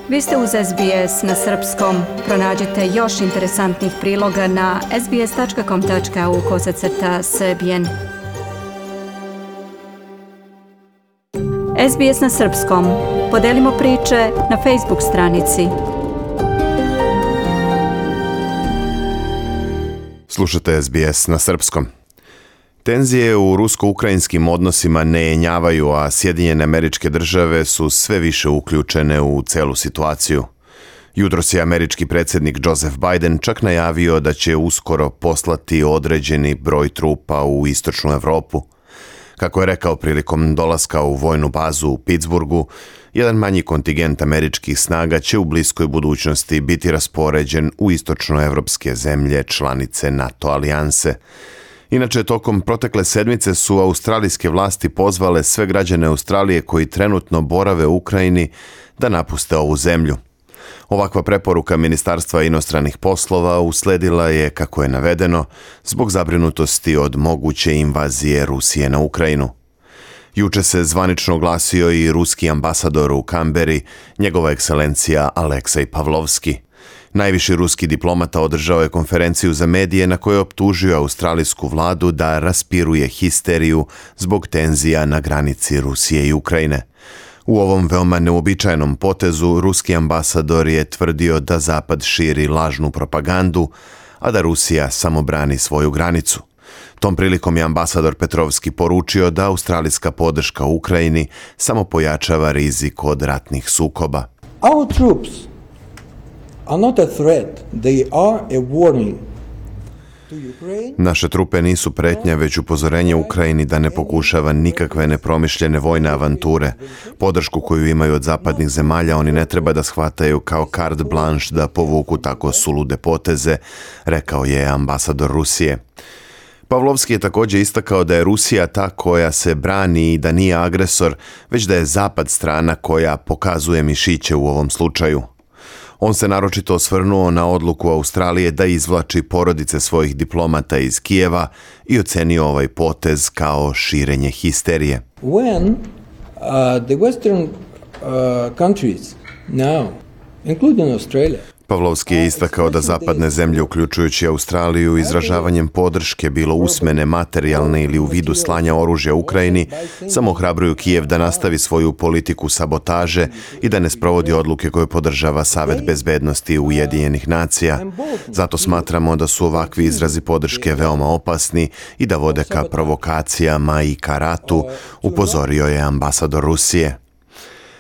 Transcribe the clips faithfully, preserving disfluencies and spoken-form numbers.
Vi ste uz S B S na srpskom. Pronađite još interesantnih priloga na sbs.com.au kosacrta srbijen. S B S na srpskom. Podelimo priče na Facebook stranici. Slušate S B S na srpskom. Tenzije u rusko-ukrajinskim odnosima ne jenjavaju, a Sjedinjene Američke Države su sve više uključene u celu situaciju. Jutros je američki predsjednik Joseph Biden čak najavio da će uskoro poslati određeni broj trupa u istočnu Evropu. Kako je rekao prilikom dolaska u vojnu bazu u Pittsburghu, jedan manji kontingent američkih snaga će u bliskoj budućnosti biti raspoređen u istočnoevropske zemlje članice NATO alijanse. Inače, tokom protekle sedmice su australijske vlasti pozvale sve građane Australije koji trenutno borave u Ukrajini da napuste ovu zemlju. Ovakva preporuka Ministarstva inostranih poslova usledila je, kako je navedeno, zbog zabrinutosti od moguće invazije Rusije na Ukrajinu. Juče se zvanično oglasio i ruski ambasador u Kamberi, njegova ekscelencija Aleksej Pavlovski. Najviši ruski diplomata održao je konferenciju za medije na kojoj je optužio australijsku vladu da raspiruje histeriju zbog tenzija na granici Rusije i Ukrajine. U ovom veoma neuobičajenom potezu ruski ambasador je tvrdio da Zapad širi lažnu propagandu, a da Rusija samo brani svoju granicu. Tom prilikom je ambasador Petrovski poručio da australijska podrška Ukrajini samo pojačava rizik od ratnih sukoba. Our troops are not a threat, they are a warning. Naše trupe nisu pretnja, već upozorenje Ukrajini da ne pokušava nikakve nepromišljene vojne avanture. Podršku koju imaju od zapadnih zemalja oni ne treba da shvataju kao carte blanche da povuku tako sulude poteze, rekao je ambasador Rusije. Pavlovski je također istakao da je Rusija ta koja se brani i da nije agresor, već da je Zapad strana koja pokazuje mišiće u ovom slučaju. On se naročito osvrnuo na odluku Australije da izvlači porodice svojih diplomata iz Kijeva i ocenio ovaj potez kao širenje histerije. When uh, the western uh, countries now, including Australia, Pavlovski je istakao da zapadne zemlje, uključujući Australiju, izražavanjem podrške, bilo usmene, materijalne ili u vidu slanja oružja Ukrajini, samo ohrabruju Kijev da nastavi svoju politiku sabotaže i da ne sprovodi odluke koje podržava Savet bezbednosti Ujedinjenih nacija. Zato smatramo da su ovakvi izrazi podrške veoma opasni i da vode ka provokacijama i ka ratu, upozorio je ambasador Rusije.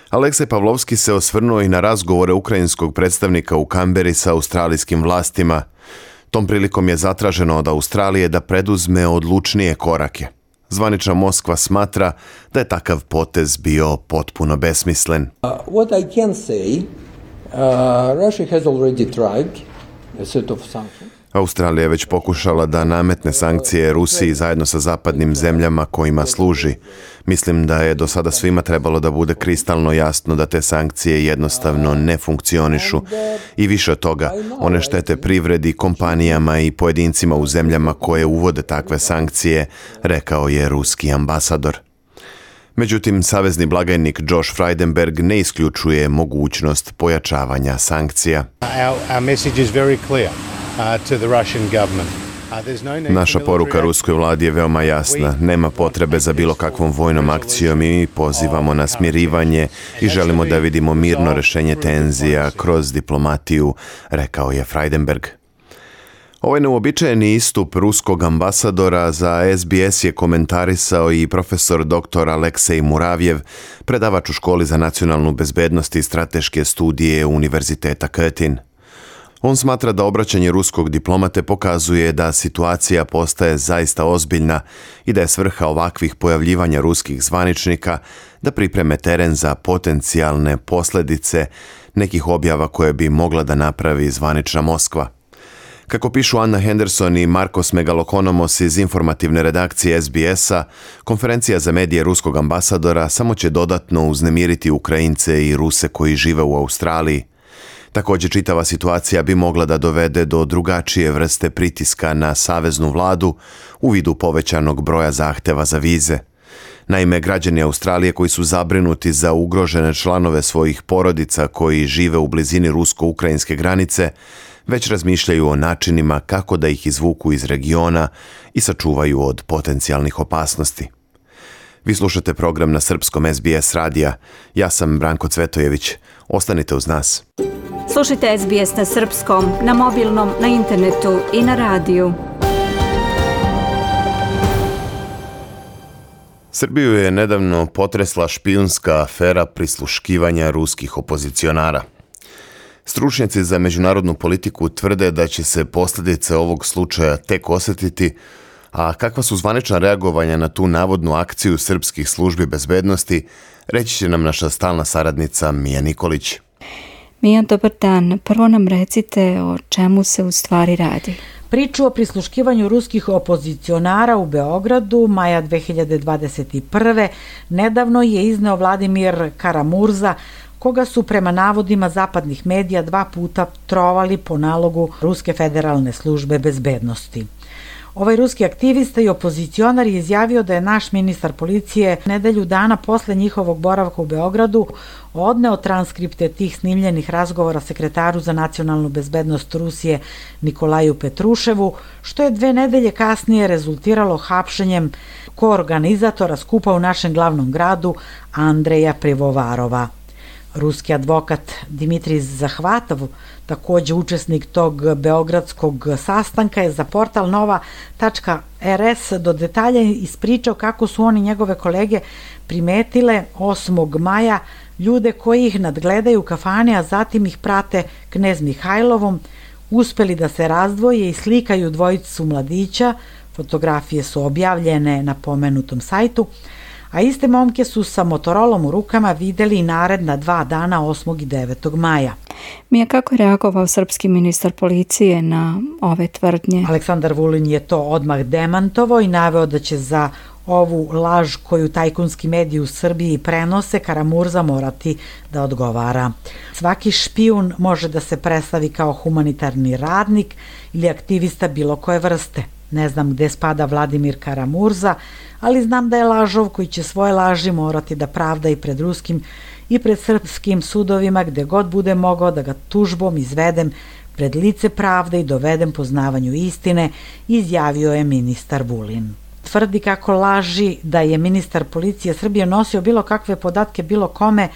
Aleksej Pavlovski se osvrnuo i na razgovore ukrajinskog predstavnika u Kamberi sa australijskim vlastima. Tom prilikom je zatraženo od Australije da preduzme odlučnije korake. Zvanična Moskva smatra da je takav potez bio potpuno besmislen. Uh, what I can say, uh, Russia has already tried a set of sanctions. Australija je već pokušala da nametne sankcije Rusiji zajedno sa zapadnim zemljama kojima služi. Mislim da je do sada svima trebalo da bude kristalno jasno da te sankcije jednostavno ne funkcionišu. I više od toga, one štete privredi, kompanijama i pojedincima u zemljama koje uvode takve sankcije, rekao je ruski ambasador. Međutim, savezni blagajnik Josh Frydenberg ne isključuje mogućnost pojačavanja sankcija. Our, our message is very clear. Naša poruka ruskoj vladi je veoma jasna. Nema potrebe za bilo kakvom vojnom akcijom i mi pozivamo na smirivanje i želimo da vidimo mirno rešenje tenzija kroz diplomatiju, rekao je Frydenberg. Ovaj neuobičajeni istup ruskog ambasadora za S B S je komentarisao i profesor doktor Aleksej Muravjev, predavač u školi za nacionalnu bezbednost i strateške studije Univerziteta Curtin. On smatra da obraćanje ruskog diplomate pokazuje da situacija postaje zaista ozbiljna i da je svrha ovakvih pojavljivanja ruskih zvaničnika da pripreme teren za potencijalne posljedice nekih objava koje bi mogla da napravi zvanična Moskva. Kako pišu Anna Henderson i Markos Megalokonomos iz informativne redakcije S B S-a, konferencija za medije ruskog ambasadora samo će dodatno uznemiriti Ukrajince i Ruse koji žive u Australiji. Također, čitava situacija bi mogla da dovede do drugačije vrste pritiska na saveznu vladu u vidu povećanog broja zahteva za vize. Naime, građani Australije koji su zabrinuti za ugrožene članove svojih porodica koji žive u blizini rusko-ukrajinske granice, već razmišljaju o načinima kako da ih izvuku iz regiona i sačuvaju od potencijalnih opasnosti. Vi slušate program na srpskom S B S radija. Ja sam Branko Cvetojević. Ostanite uz nas. Slušajte S B S na srpskom, na mobilnom, na internetu i na radiju. Srbiju je nedavno potresla špijunska afera prisluškivanja ruskih opozicionara. Stručnjaci za međunarodnu politiku tvrde da će se posljedice ovog slučaja tek osjetiti, a kakva su zvanična reagovanja na tu navodnu akciju srpskih službi bezbednosti, reći će nam naša stalna saradnica Mija Nikolić. Mija, dobar dan. Prvo nam recite o čemu se u stvari radi. Priču o prisluškivanju ruskih opozicionara u Beogradu maja dve hiljade dvadeset prve. nedavno je izneo Vladimir Karamurza, koga su prema navodima zapadnih medija dva puta trovali po nalogu Ruske federalne službe bezbednosti. Ovaj ruski aktivista i opozicionar je izjavio da je naš ministar policije nedelju dana posle njihovog boravka u Beogradu odneo transkripte tih snimljenih razgovora sekretaru za nacionalnu bezbednost Rusije Nikolaju Petruševu, što je dve nedelje kasnije rezultiralo hapšenjem koorganizatora skupa u našem glavnom gradu Andreja Pivovarova. Ruski advokat Dimitrij Zahvatov, takođe učesnik tog beogradskog sastanka, je za portal nova tačka er es do detalja ispričao kako su oni njegove kolege primetile osmog maja ljude koji ih nadgledaju u kafani, a zatim ih prate Knez Mihajlovom, uspeli da se razdvoje i slikaju dvojicu mladića, fotografije su objavljene na pomenutom sajtu, a iste momke su sa motorolom u rukama videli i naredna dva dana osmog i devetog maja. Mija, kako je reagovao srpski ministar policije na ove tvrdnje? Aleksandar Vulin je to odmah demantovao i naveo da će za ovu laž koju tajkunski mediji u Srbiji prenose Karamurza morati da odgovara. Svaki špijun može da se predstavi kao humanitarni radnik ili aktivista bilo koje vrste. Ne znam gde spada Vladimir Karamurza, ali znam da je lažov koji će svoje laži morati da pravda i pred ruskim i pred srpskim sudovima gde god bude mogao da ga tužbom izvedem pred lice pravde i dovedem poznavanju istine, izjavio je ministar Vulin. Tvrdi kako laži da je ministar policije Srbije nosio bilo kakve podatke bilo kome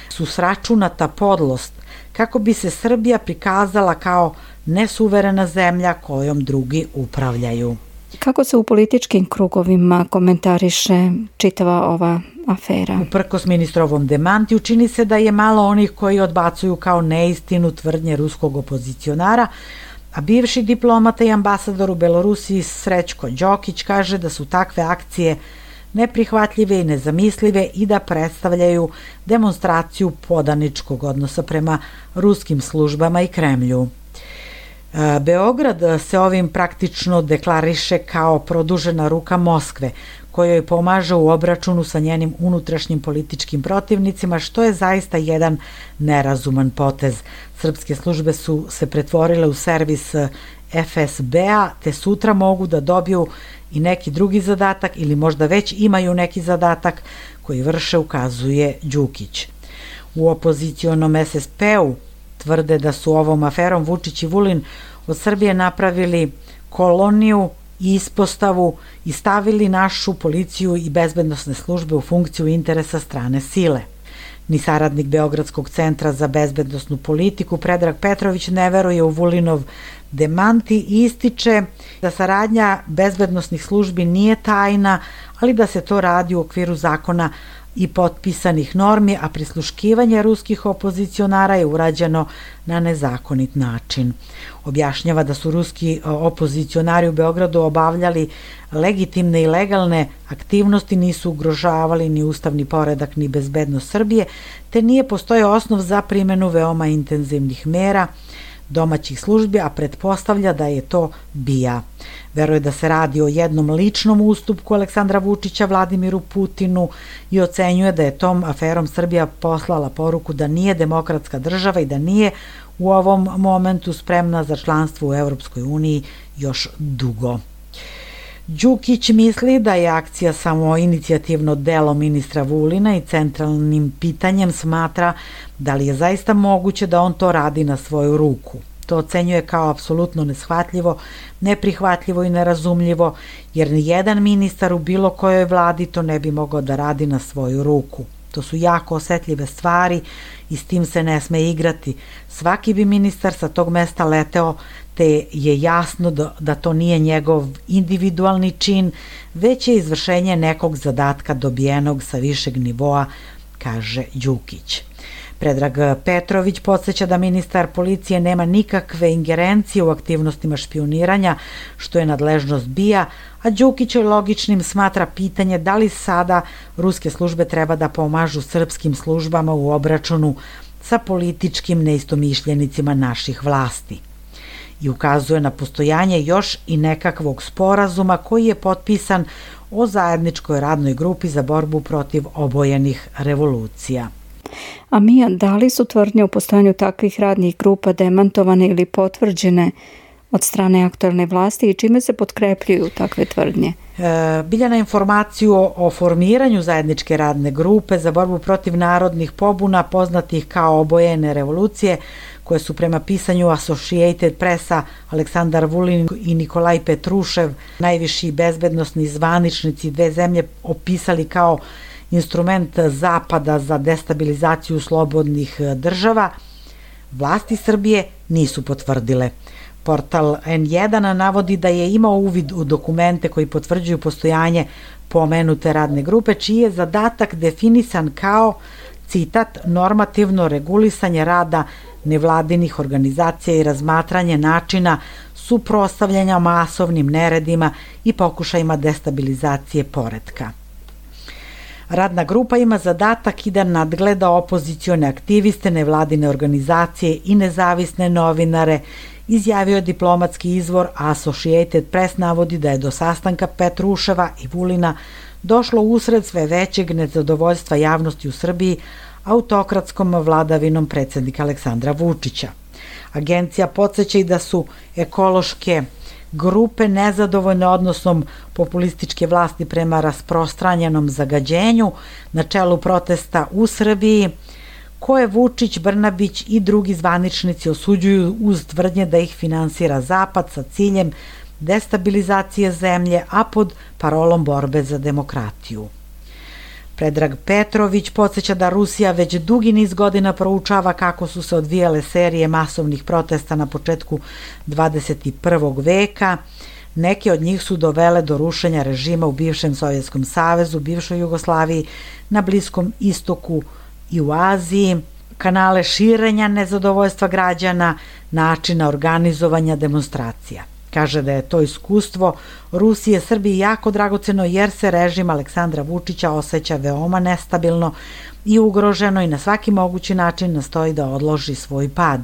su sračunata podlost, kako bi se Srbija prikazala kao nesuverena zemlja kojom drugi upravljaju. Kako se u političkim krugovima komentariše čitava ova afera? Uprkos ministrovom demantiju čini se da je malo onih koji odbacuju kao neistinu tvrdnje ruskog opozicionara, a bivši diplomata i ambasador u Belorusiji Srećko Đokić kaže da su takve akcije neprihvatljive i nezamislive i da predstavljaju demonstraciju podaničkog odnosa prema ruskim službama i Kremlju. Beograd se ovim praktično deklariše kao produžena ruka Moskve, kojoj pomaže u obračunu sa njenim unutrašnjim političkim protivnicima, što je zaista jedan nerazuman potez. Srpske službe su se pretvorile u servis F S B-a, te sutra mogu da dobiju i neki drugi zadatak ili možda već imaju neki zadatak koji vrše, ukazuje Đukić. U opozicionom S S P-u tvrde da su ovom aferom Vučić i Vulin od Srbije napravili koloniju i ispostavu i stavili našu policiju i bezbednosne službe u funkciju interesa strane sile. Ni saradnik Beogradskog centra za bezbednosnu politiku Predrag Petrović ne veruje u Vulinov demanti i ističe da saradnja bezbednosnih službi nije tajna, ali da se to radi u okviru zakona i potpisanih normi, a prisluškivanje ruskih opozicionara je urađeno na nezakonit način. Objašnjava da su ruski opozicionari u Beogradu obavljali legitimne i legalne aktivnosti, nisu ugrožavali ni ustavni poredak ni bezbednost Srbije, te nije postojao osnov za primenu veoma intenzivnih mera domaćih službi, a pretpostavlja da je to B I A. Veruje da se radi o jednom ličnom ustupku Aleksandra Vučića Vladimiru Putinu i ocenjuje da je tom aferom Srbija poslala poruku da nije demokratska država i da nije u ovom momentu spremna za članstvo u Evropskoj uniji još dugo. Đukić misli da je akcija samo inicijativno delo ministra Vulina i centralnim pitanjem smatra da li je zaista moguće da on to radi na svoju ruku. To ocenjuje kao apsolutno neshvatljivo, neprihvatljivo i nerazumljivo, jer nijedan ministar u bilo kojoj vladi to ne bi mogao da radi na svoju ruku. To su jako osetljive stvari i s tim se ne sme igrati. Svaki bi ministar sa tog mesta leteo, te je jasno da, da to nije njegov individualni čin, već je izvršenje nekog zadatka dobijenog sa višeg nivoa, kaže Đukić. Predrag Petrović podsjeća da ministar policije nema nikakve ingerencije u aktivnostima špijuniranja, što je nadležnost B I A, a Đukić logičnim smatra pitanje da li sada ruske službe treba da pomažu srpskim službama u obračunu sa političkim neistomišljenicima naših vlasti. I ukazuje na postojanje još i nekakvog sporazuma koji je potpisan o zajedničkoj radnoj grupi za borbu protiv obojenih revolucija. A Mija, da li su tvrdnje o postojanju takvih radnih grupa demantovane ili potvrđene od strane aktualne vlasti i čime se potkrepljuju takve tvrdnje? E, Biljana, informaciju o, o formiranju zajedničke radne grupe za borbu protiv narodnih pobuna poznatih kao obojene revolucije, koje su prema pisanju Associated Pressa Aleksandar Vulin i Nikolaj Petrušev, najviši bezbednosni zvaničnici dve zemlje, opisali kao instrument Zapada za destabilizaciju slobodnih država, vlasti Srbije nisu potvrdile. Portal N jedan navodi da je imao uvid u dokumente koji potvrđuju postojanje pomenute radne grupe, čiji je zadatak definisan kao, citat, normativno regulisanje rada nevladinih organizacija i razmatranje načina suprotstavljanja masovnim neredima i pokušajima destabilizacije poretka. Radna grupa ima zadatak i da nadgleda opozicione aktiviste, nevladine organizacije i nezavisne novinare, izjavio diplomatski izvor, a Associated Press navodi da je do sastanka Petruševa i Vulina došlo usred sve većeg nezadovoljstva javnosti u Srbiji autokratskom vladavinom predsjednika Aleksandra Vučića. Agencija podsjeća i da su ekološke grupe nezadovoljne odnosom populističke vlasti prema rasprostranjenom zagađenju na čelu protesta u Srbiji, koje Vučić, Brnabić i drugi zvaničnici osuđuju uz tvrdnje da ih finansira Zapad sa ciljem destabilizacije zemlje, a pod parolom borbe za demokratiju. Predrag Petrović podsjeća da Rusija već dugi niz godina proučava kako su se odvijale serije masovnih protesta na početku dvadeset prvog veka. Neke od njih su dovele do rušenja režima u bivšem Sovjetskom savezu, bivšoj Jugoslaviji, na Bliskom istoku i u Aziji, kanale širenja nezadovoljstva građana, načina organizovanja demonstracija. Kaže da je to iskustvo Rusije Srbiji jako dragoceno jer se režim Aleksandra Vučića osjeća veoma nestabilno i ugroženo i na svaki mogući način nastoji da odloži svoj pad.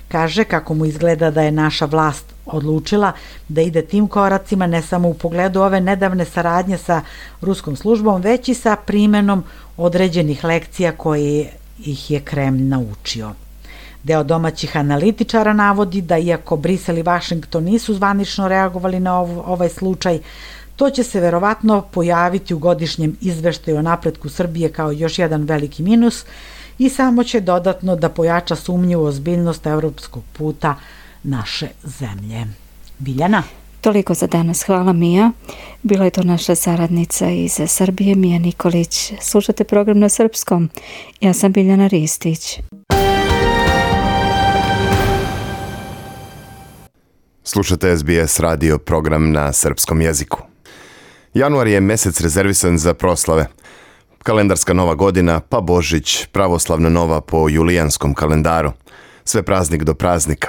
Kaže kako mu izgleda da je naša vlast odlučila da ide tim koracima ne samo u pogledu ove nedavne saradnje sa ruskom službom, već i sa primenom određenih lekcija koje ih je Kremlj naučio. Deo domaćih analitičara navodi da iako Brisel i Vašington nisu zvanično reagovali na ovaj slučaj, to će se verovatno pojaviti u godišnjem izveštaju o napretku Srbije kao još jedan veliki minus i samo će dodatno da pojača sumnju u ozbiljnost evropskog puta naše zemlje. Biljana? Toliko za danas. Hvala, Mija. Bila je to naša saradnica iz Srbije, Mija Nikolić. Slušate program na srpskom. Ja sam Biljana Ristić. Slušate S B S radio program na srpskom jeziku. Januar je mesec rezervisan za proslave. Kalendarska nova godina, pa Božić, pravoslavna nova po julijanskom kalendaru. Sve praznik do praznika.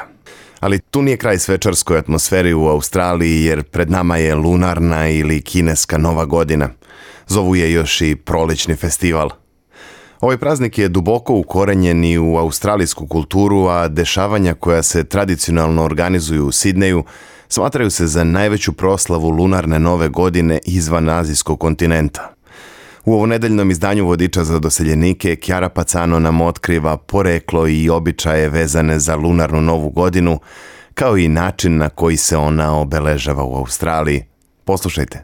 Ali tu nije kraj svečarskoj atmosferi u Australiji jer pred nama je lunarna ili kineska nova godina. Zovu je još i prolećni festival. Ovaj praznik je duboko ukorenjen i u australijsku kulturu, a dešavanja koja se tradicionalno organizuju u Sidneju smatraju se za najveću proslavu lunarne nove godine izvan azijskog kontinenta. U ovonedeljnom izdanju vodiča za doseljenike Chiara Pacano nam otkriva poreklo i običaje vezane za lunarnu novu godinu, kao i način na koji se ona obeležava u Australiji. Poslušajte.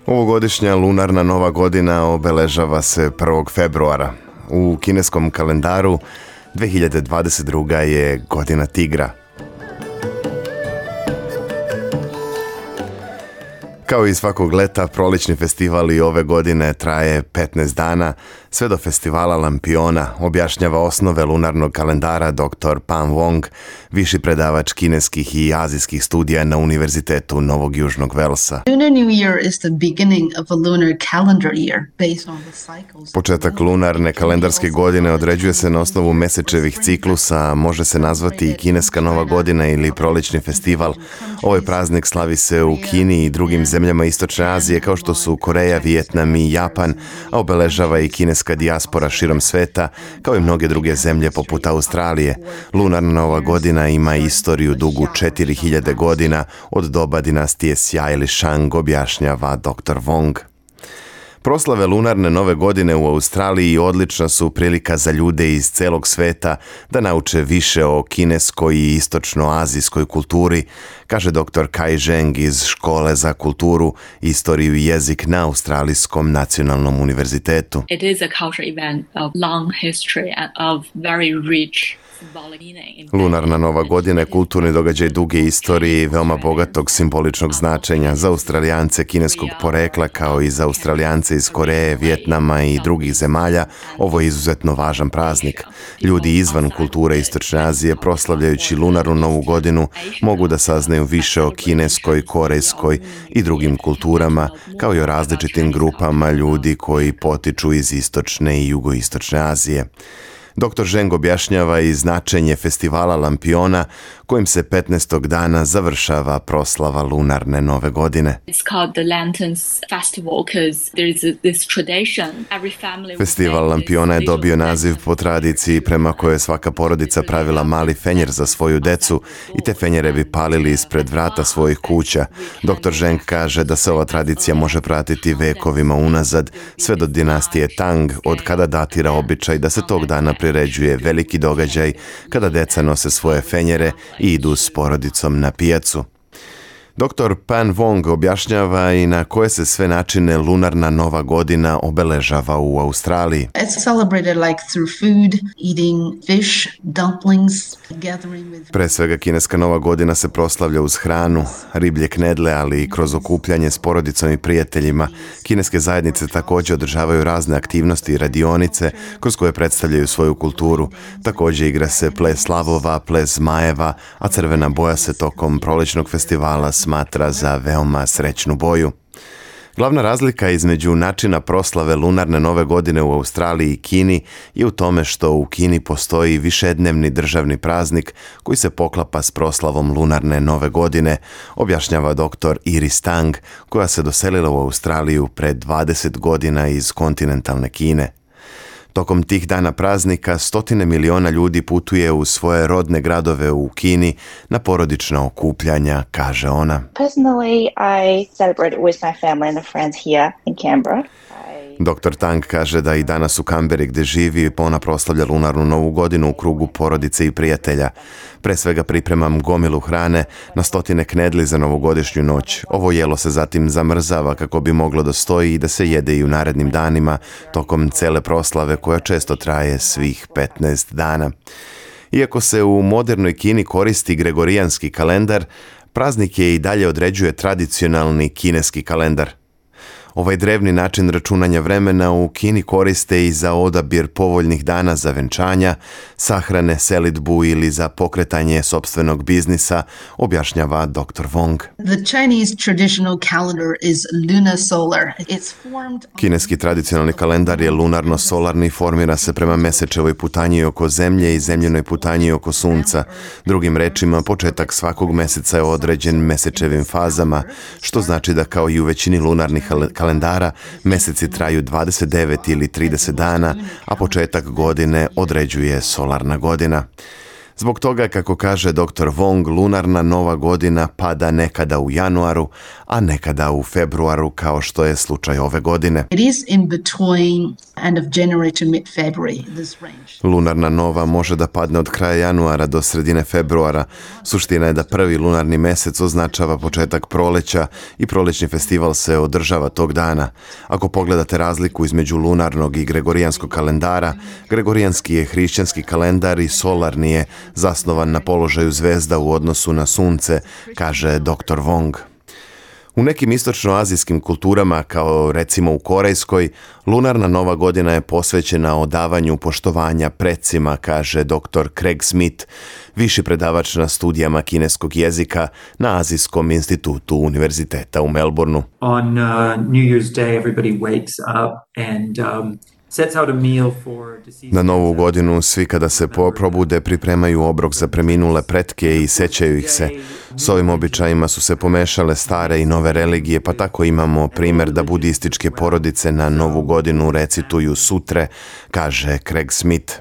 Ovogodišnja lunarna nova godina obeležava se prvog februara. U kineskom kalendaru dve hiljade dvadeset druga. je godina tigra. Kao i svakog leta, prolični festival i ove godine traje petnaest dana, sve do festivala Lampiona, objašnjava osnove lunarnog kalendara doktor Pan Wong, viši predavač kineskih i azijskih studija na Univerzitetu Novog Južnog Velsa. Lunar New Year is the beginning of a lunar calendar year based on the cycles. Početak lunarne kalendarske godine određuje se na osnovu mesečevih ciklusa, a može se nazvati i kineska nova godina ili prolični festival. Ovaj praznik slavi se u Kini i drugim zemljama Istočne Azije kao što su Koreja, Vijetnam i Japan, a obeležava i kineska dijaspora širom sveta, kao i mnoge druge zemlje poput Australije. Lunarna nova godina ima istoriju dugu četiri hiljade godina od doba dinastije Xia ili Shang, objašnjava doktor Wong. Proslave lunarne nove godine u Australiji odlična su prilika za ljude iz celog sveta da nauče više o kineskoj i istočnoazijskoj kulturi, kaže doktor Kai Zheng iz Škole za kulturu, istoriju i jezik na Australijskom nacionalnom univerzitetu. It is a cultural event of long history and of very rich. Lunarna nova godina je kulturni događaj duge istorije i veoma bogatog simboličnog značenja za Australijance kineskog porekla kao i za Australijance iz Koreje, Vijetnama i drugih zemalja. Ovo je izuzetno važan praznik. Ljudi izvan kulture Istočne Azije, proslavljajući lunarnu novu godinu, mogu da saznaju više o kineskoj, korejskoj i drugim kulturama, kao i o različitim grupama ljudi koji potiču iz Istočne i Jugoistočne Azije. doktor Zheng objašnjava i značenje festivala Lampiona, kojim se petnaestog dana završava proslava lunarne nove godine. Festival Lampiona je dobio naziv po tradiciji prema kojoj je svaka porodica pravila mali fenjer za svoju decu i te fenjere bi palili ispred vrata svojih kuća. doktor Zheng kaže da se ova tradicija može pratiti vekovima unazad, sve do dinastije Tang, od kada datira običaj da se tog dana priređuje veliki događaj kada deca nose svoje fenjere i idu s porodicom na pijacu. doktor Pan Wong objašnjava i na koje se sve načine lunarna nova godina obeležava u Australiji. It's celebrated like through food, eating fish, dumplings, gathering with... Pre svega kineska nova godina se proslavlja uz hranu, riblje knedle, ali i kroz okupljanje s porodicom i prijateljima. Kineske zajednice također održavaju razne aktivnosti i radionice kroz koje predstavljaju svoju kulturu. Također igra se ples slavova, ples zmajeva, a crvena boja se tokom prolećnog festivala smatra za veoma srećnu boju. Glavna razlika između načina proslave lunarne nove godine u Australiji i Kini je u tome što u Kini postoji višednevni državni praznik koji se poklapa s proslavom lunarne nove godine, objašnjava doktor Iris Tang, koja se doselila u Australiju pred dvadeset godina iz kontinentalne Kine. Tokom tih dana praznika stotine miliona ljudi putuje u svoje rodne gradove u Kini na porodična okupljanja, kaže ona. Personally, I celebrate with my family and friends here in Canberra. doktor Tang kaže da i danas u Kamberi gdje živi ona proslavlja lunarnu novu godinu u krugu porodice i prijatelja. Pre svega pripremam gomilu hrane, na stotine knedli za novogodišnju noć. Ovo jelo se zatim zamrzava kako bi moglo da stoji i da se jede i u narednim danima tokom cele proslave koja često traje svih petnaest dana. Iako se u modernoj Kini koristi gregorijanski kalendar, praznik je i dalje određuje tradicionalni kineski kalendar. Ovaj drevni način računanja vremena u Kini koriste i za odabir povoljnih dana za venčanja, sahrane, selidbu ili za pokretanje sopstvenog biznisa, objašnjava doktor Wong. The Chinese traditional calendar is lunar solar. It's formed... Kineski tradicionalni kalendar je lunarno-solarni, formira se prema mesečevoj putanji oko zemlje i zemljenoj putanji oko sunca. Drugim rečima, početak svakog meseca je određen mesečevim fazama, što znači da kao i u većini lunarnih kalendara kalendara, meseci traju dvadeset devet ili trideset dana, a početak godine određuje solarna godina. Zbog toga, kako kaže doktor Wong, lunarna nova godina pada nekada u januaru, a nekada u februaru, kao što je slučaj ove godine. It is in between end of January to mid-February, this range. Lunarna nova može da padne od kraja januara do sredine februara. Suština je da prvi lunarni mesec označava početak proleća i prolećni festival se održava tog dana. Ako pogledate razliku između lunarnog i gregorijanskog kalendara, gregorijanski je hrišćanski kalendar i solarni je zasnovan na položaju zvezda u odnosu na sunce, kaže doktor Wong. U nekim istočnoazijskim kulturama, kao recimo u korejskoj, lunarna nova godina je posvećena odavanju poštovanja precima, kaže doktor Craig Smith, viši predavač na studijama kineskog jezika na Azijskom institutu univerziteta u Melbourneu. On uh, New Year's Day everybody wakes up and um, Na novu godinu svi kada se probude pripremaju obrok za preminule pretke i sećaju ih se. S ovim običajima su se pomešale stare i nove religije, pa tako imamo primjer da budističke porodice na novu godinu recituju sutre, kaže Craig Smith.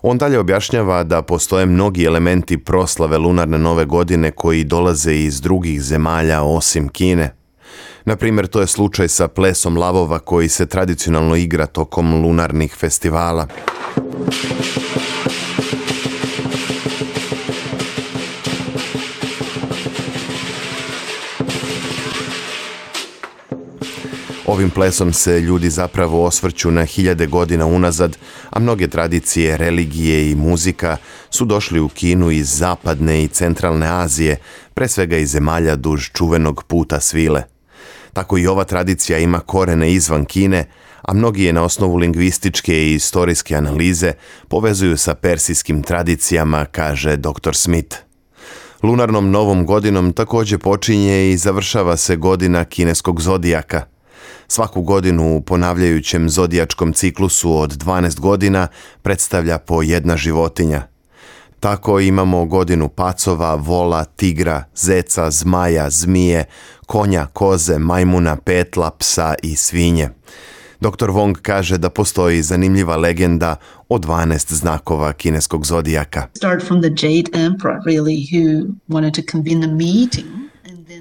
On dalje objašnjava da postoje mnogi elementi proslave lunarne nove godine koji dolaze iz drugih zemalja osim Kine. Na primjer, to je slučaj sa plesom lavova koji se tradicionalno igra tokom lunarnih festivala. Ovim plesom se ljudi zapravo osvrću na hiljade godina unazad, a mnoge tradicije, religije i muzika su došli u Kinu iz zapadne i centralne Azije, pre svega iz zemalja duž čuvenog puta svile. Tako i ova tradicija ima korene izvan Kine, a mnogi je na osnovu lingvističke i istorijske analize povezuju sa persijskim tradicijama, kaže doktor Smith. Lunarnom novom godinom također počinje i završava se godina kineskog zodijaka. Svaku godinu u ponavljajućem zodijačkom ciklusu od dvanaest godina predstavlja po jedna životinja. Tako imamo godinu pacova, vola, tigra, zeca, zmaja, zmije, konja, koze, majmuna, petla, psa i svinje. doktor Wong kaže da postoji zanimljiva legenda o dvanaest znakova kineskog zodijaka. Start from the Jade Emperor, really, who wanted to convene a meeting.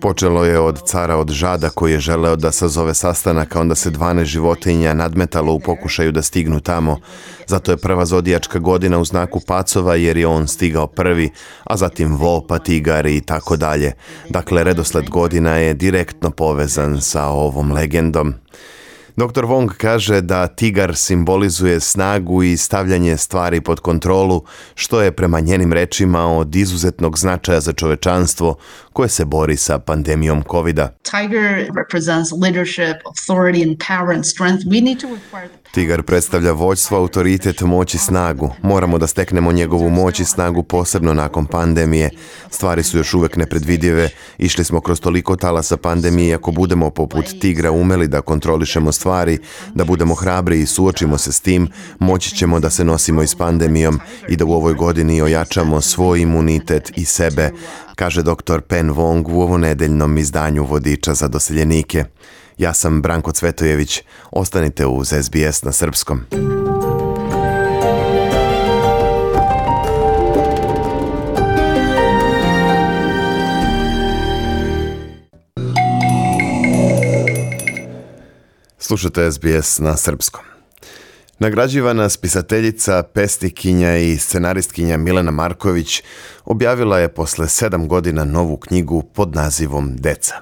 Počelo je od cara od Žada koji je želeo da sazove sastanak, a onda se dvanaest životinja nadmetalo u pokušaju da stignu tamo. Zato je prva zodijačka godina u znaku pacova jer je on stigao prvi, a zatim vo, pa tigar i tako dalje. Dakle, redosled godina je direktno povezan sa ovom legendom. doktor Wong kaže da tigar simbolizuje snagu i stavljanje stvari pod kontrolu, što je prema njenim rečima od izuzetnog značaja za čovečanstvo koje se bori sa pandemijom kovida. Tiger represents leadership, authority and power and strength. We need to acquire the Tigar predstavlja vođstvo, autoritet, moć i snagu. Moramo da steknemo njegovu moć i snagu posebno nakon pandemije. Stvari su još uvek nepredvidive. Išli smo kroz toliko talasa pandemije i ako budemo poput tigra umeli da kontrolišemo stvari, da budemo hrabri i suočimo se s tim, moći ćemo da se nosimo i s pandemijom i da u ovoj godini ojačamo svoj imunitet i sebe, kaže doktor Pen Wong u ovonedeljnom izdanju Vodiča za doseljenike. Ja sam Branko Cvetojević. Ostanite uz S B S na srpskom. Slušate S B S na srpskom. Nagrađivana spisateljica, pesnikinja i scenaristkinja Milena Marković objavila je posle sedam godina novu knjigu pod nazivom Deca.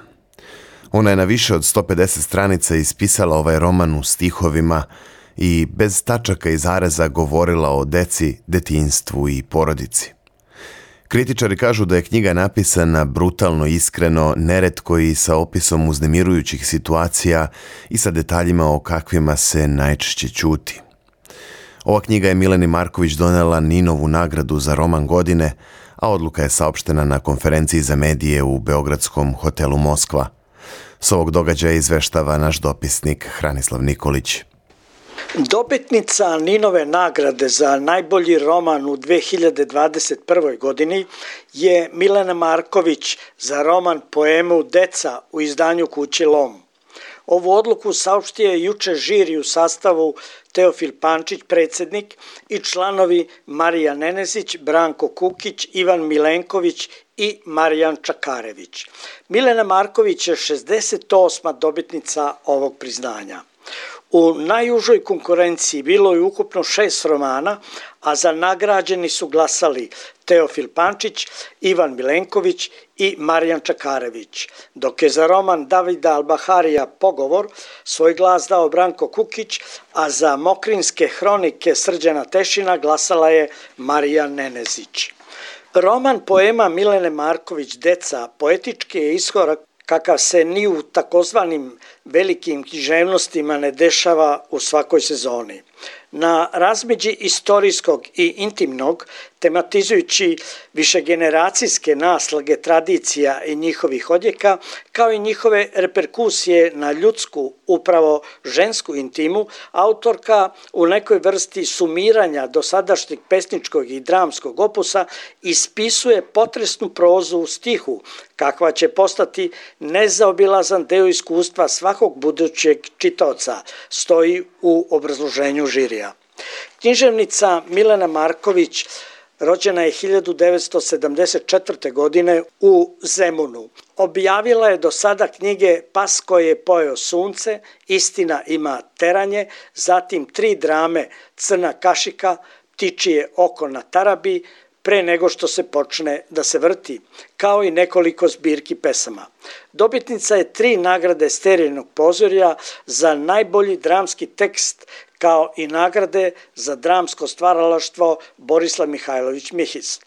Ona je na više od sto pedeset stranica ispisala ovaj roman u stihovima i bez tačaka i zareza govorila o deci, detinjstvu i porodici. Kritičari kažu da je knjiga napisana brutalno, iskreno, neretko i sa opisom uznemirujućih situacija i sa detaljima o kakvima se najčešće ćuti. Ova knjiga je Mileni Marković donela Ninovu nagradu za roman godine, a odluka je saopštena na konferenciji za medije u beogradskom hotelu Moskva. S ovog događaja izveštava naš dopisnik Hranislav Nikolić. Dobitnica Ninove nagrade za najbolji roman u dve hiljade dvadeset prvoj. godini je Milena Marković za roman poemu Deca u izdanju kuće Lom. Ovu odluku saopštio je juče žiri u sastavu Teofil Pančić, predsjednik, i članovi Marija Nenezić, Branko Kukić, Ivan Milenković i Marijan Čakarević. Milena Marković je šezdeset osma dobitnica ovog priznanja. U najužoj konkurenciji bilo je ukupno šest romana, a za nagrađeni su glasali Teofil Pančić, Ivan Milenković i Marijan Čakarević, dok je za roman Davida Albaharija Pogovor svoj glas dao Branko Kukić, a za Mokrinske hronike Srđana Tešina glasala je Marija Nenezić. Roman poema Milene Marković Deca poetički je iskorak kakav se ni u takozvanim velikim književnostima ne dešava u svakoj sezoni. Na razmeđi istorijskog i intimnog, tematizujući višegeneracijske naslage tradicija i njihovih odjeka, kao i njihove reperkusije na ljudsku, upravo žensku intimu, autorka u nekoj vrsti sumiranja dosadašnjeg pesničkog i dramskog opusa ispisuje potresnu prozu u stihu, kakva će postati nezaobilazan deo iskustva svakog budućeg čitaoca, stoji u obrazloženju žirija. Književnica Milena Marković rođena je hiljadu devetsto sedamdeset četvrte. godine u Zemunu. Objavila je do sada knjige Pas koji je pojeo sunce, Istina ima teranje, zatim tri drame Crna kašika, Ptičije oko na tarabi, Pre nego što se počne da se vrti, kao i nekoliko zbirki pesama. Dobitnica je tri nagrade Sterilnog pozorja za najbolji dramski tekst, kao i nagrade za dramsko stvaralaštvo Borislav Mihajlović Mihis.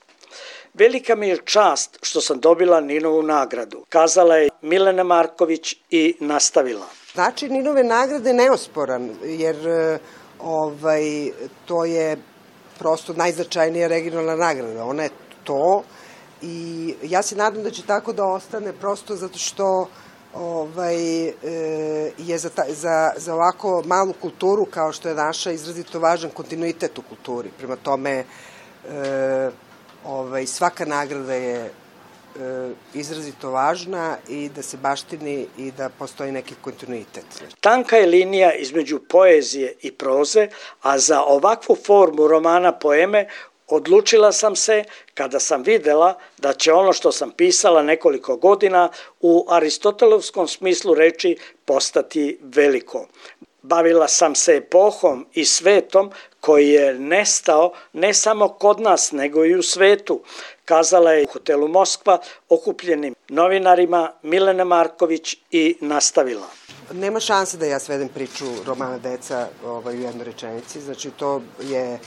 Velika mi je čast što sam dobila Ninovu nagradu, kazala je Milena Marković i nastavila. Znači Ninove nagrade neosporan, jer ovaj, to je prosto najznačajnija regionalna nagrada. Ona je to i ja se nadam da će tako da ostane prosto zato što ovaj, je za, ta, za, za ovako malu kulturu kao što je naša izrazito važan kontinuitet u kulturi. Prema tome ovaj, svaka nagrada je izrazito važna i da se baštini i da postoji neki kontinuitet. Tanka je linija između poezije i proze, a za ovakvu formu romana poeme odlučila sam se kada sam videla da će ono što sam pisala nekoliko godina u aristotelovskom smislu reči postati veliko. Bavila sam se epohom i svetom koji je nestao ne samo kod nas, nego i u svetu, kazala je u hotelu Moskva okupljenim novinarima Milena Marković i nastavila. Nema šanse da ja svedem priču romana Deca ovaj, u jednoj rečenici, znači to je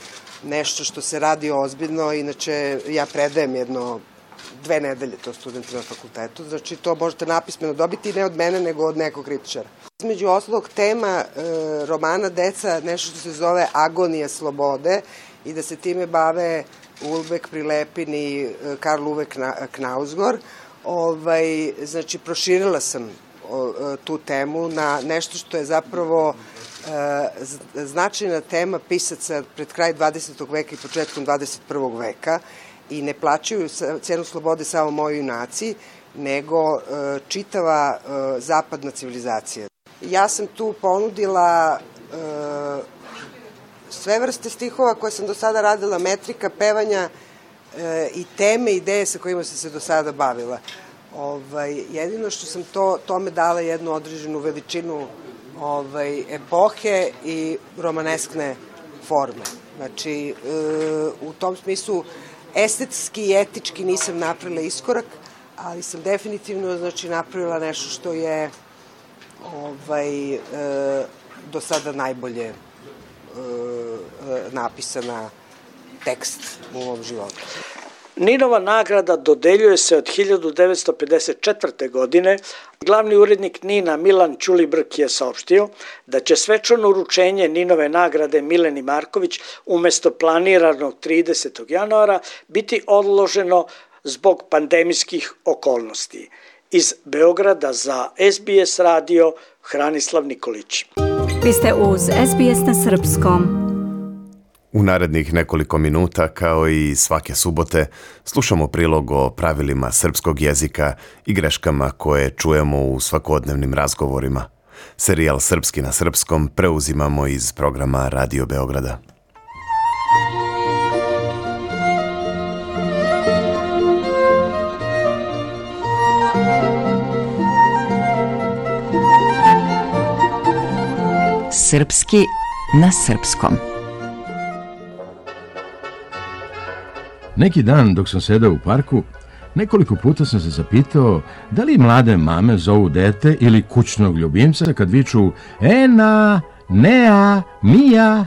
nešto što se radi ozbiljno, inače ja predajem jedno dve nedelje to studentima na fakultetu, znači to možete napismeno dobiti ne od mene nego od nekog kritičara. Između ostalog tema e, romana Deca nešto što se zove agonija slobode i da se time bave Ulbek, Prilepin i e, Karl Uwe Knausgård. Ovaj, znači proširila sam o, tu temu na nešto što je zapravo e, značajna tema pisaca pred kraj dvadesetog veka i početkom dvadeset prvog veka i ne plaćaju cenu slobode samo moji junaci, nego e, čitava e, zapadna civilizacija. Ja sam tu ponudila e, sve vrste stihova koje sam do sada radila, metrika, pevanja e, i teme, ideje sa kojima sam se do sada bavila. Ovaj, jedino što sam to, tome dala jednu određenu veličinu ovaj, epohe i romaneskne forme. Znači, e, u tom smislu estetski i etički nisam napravila iskorak, ali sam definitivno znači, napravila nešto što je ovaj, e, do sada najbolje e, napisana tekst u ovom životu. Ninova nagrada dodeljuje se od hiljadu devetsto pedeset četvrte. godine. Glavni urednik Nina Milan Ćulibrk je saopštio da će svečano uručenje Ninove nagrade Mileni Marković umesto planiranog tridesetog januara biti odloženo zbog pandemijskih okolnosti. Iz Beograda za S B S radio Hranislav Nikolić. Vi ste uz S B S na srpskom. U narednih nekoliko minuta, kao i svake subote, slušamo prilog o pravilima srpskog jezika i greškama koje čujemo u svakodnevnim razgovorima. Serijal Srpski na srpskom preuzimamo iz programa Radio Beograda. Srpski na srpskom. Neki dan dok sam sedao u parku, nekoliko puta sam se zapitao da li mlade mame zovu dete ili kućnog ljubimca kad viču Ena, Nea, Mija.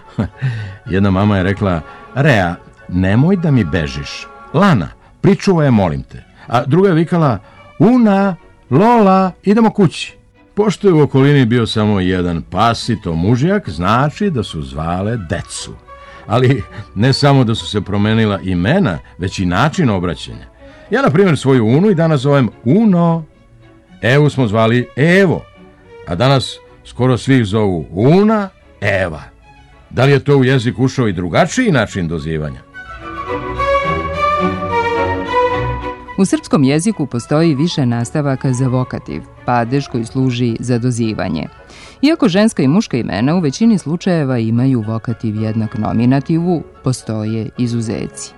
Jedna mama je rekla, Rea, nemoj da mi bežiš. Lana, pričuvaj, molim te. A druga je vikala, Una, Lola, idemo kući. Pošto je u okolini bio samo jedan pasito mužjak, znači da su zvale decu. Ali ne samo da su se promenila imena, već i način obraćanja. Ja, na primjer, svoju Unu i danas zovem Uno. Evu smo zvali Evo, a danas skoro svi zovu Una, Eva. Da li je to u jezik ušao i drugačiji način dozivanja? U srpskom jeziku postoji više nastavaka za vokativ, padež koji služi za dozivanje. Iako ženska i muška imena u većini slučajeva imaju vokativ jednak nominativu, postoje izuzeci.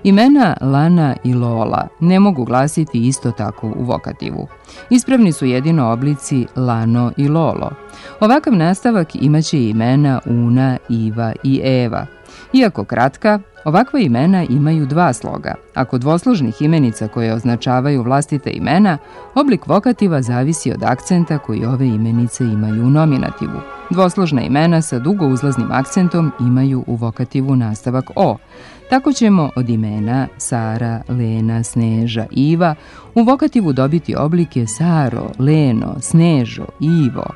Imena Lana i Lola ne mogu glasiti isto tako u vokativu. Ispravni su jedino oblici Lano i Lolo. Ovakav nastavak imaće i imena Una, Iva i Eva. Iako kratka, ovakva imena imaju dva sloga, a kod dvosložnih imenica koje označavaju vlastite imena, oblik vokativa zavisi od akcenta koji ove imenice imaju u nominativu. Dvosložna imena sa dugouzlaznim akcentom imaju u vokativu nastavak O. Tako ćemo od imena Sara, Lena, Sneža, Iva u vokativu dobiti oblike Saro, Leno, Snežo, Ivo.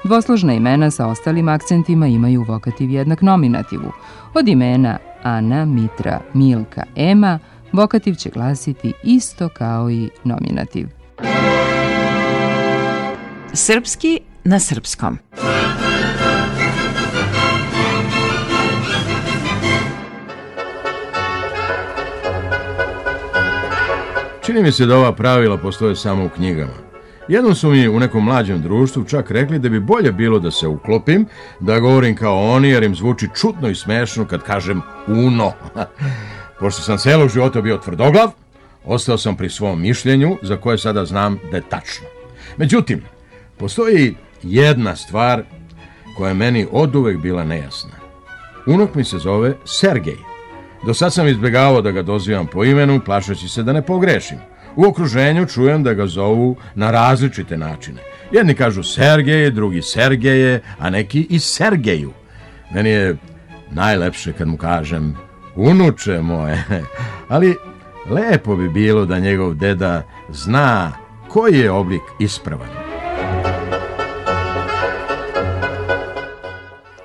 Dvosložna imena sa ostalim akcentima imaju vokativ jednak nominativu. Od imena Ana, Mitra, Milka, Ema, vokativ će glasiti isto kao i nominativ. Srpski na srpskom. Čini mi se da ova pravila postoje samo u knjigama. Jednom su mi u nekom mlađem društvu čak rekli da bi bolje bilo da se uklopim, da govorim kao oni, jer im zvuči čudno i smešno kad kažem Uno. Pošto sam celog života bio tvrdoglav, ostao sam pri svom mišljenju, za koje sada znam da je tačno. Međutim, postoji jedna stvar koja je meni oduvek bila nejasna. Unuk mi se zove Sergej. Do sad sam izbjegavao da ga dozivam po imenu, plašeći se da ne pogrešim. U okruženju čujem da ga zovu na različite načine. Jedni kažu Sergeje, drugi Sergeje, a neki i Sergeju. Meni je najlepše kad mu kažem unuče moje, ali lepo bi bilo da njegov deda zna koji je oblik ispravan.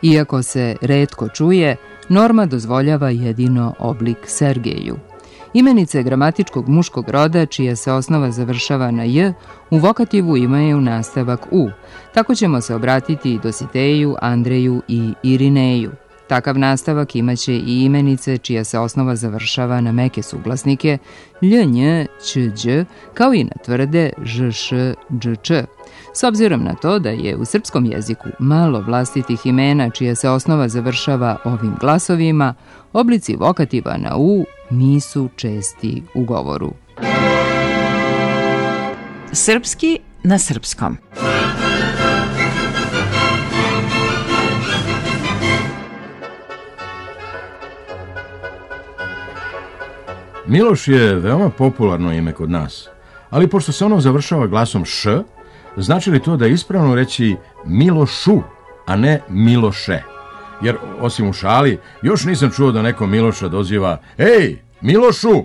Iako se retko čuje, norma dozvoljava jedino oblik Sergeju. Imenice gramatičkog muškog roda, čija se osnova završava na j, u vokativu imaju nastavak u. Tako ćemo se obratiti i Dositeju, Andreju i Irineju. Takav nastavak imaće i imenice čija se osnova završava na meke suglasnike lj, nj, ć, đ, kao i na tvrde ž, š, dž, č. S obzirom na to da je u srpskom jeziku malo vlastitih imena čija se osnova završava ovim glasovima, oblici vokativa na u nisu česti u govoru. Srpski na srpskom. Miloš je veoma popularno ime kod nas, ali pošto se ono završava glasom š, znači li to da je ispravno reći Milošu, a ne Miloše? Jer, osim u šali, još nisam čuo da neko Miloša doziva Ej, Milošu!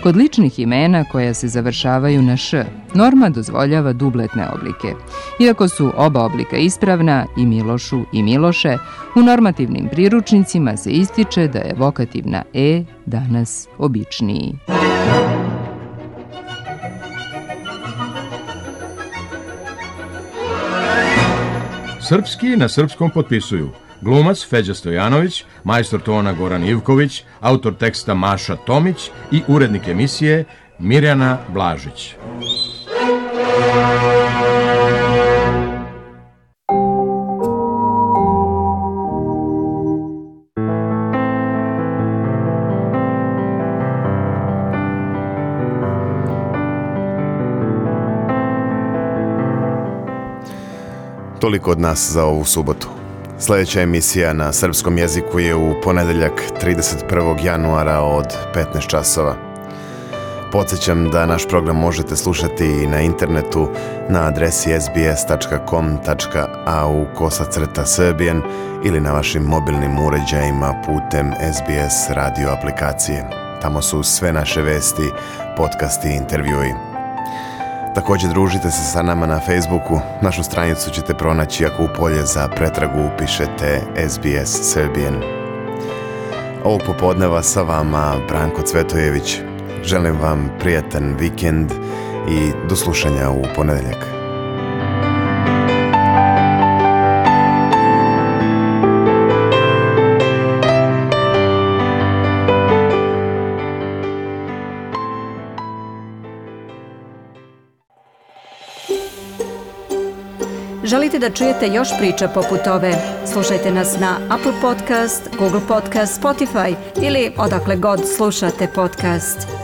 Kod ličnih imena koja se završavaju na š, norma dozvoljava dubletne oblike. Iako su oba oblika ispravna, i Milošu i Miloše, u normativnim priručnicima se ističe da je vokativ na e danas običniji. Srpski na srpskom potpisuju glumac Feđa Stojanović, majstor tona Goran Ivković, autor teksta Maša Tomić i urednik emisije Mirjana Blažić. Toliko od nas za ovu subotu. Sljedeća emisija na srpskom jeziku je u ponedeljak trideset prvog januara od petnaest časova. Podsjećam da naš program možete slušati i na internetu na adresi es bi es tačka com tačka a u kosacrta srbijan ili na vašim mobilnim uređajima putem es bi es radio aplikacije. Tamo su sve naše vesti, podcasti i intervjui. Također družite se sa nama na Facebooku. Našu stranicu ćete pronaći ako u polje za pretragu upišete es bi es Serbian. Ovog popodneva sa vama Branko Cvetojević. Želim vam prijatan vikend i do slušanja u ponedeljak. Želite da čujete još priča poput ove? Slušajte nas na Apple Podcast, Google Podcast, Spotify ili odakle god slušate podcast.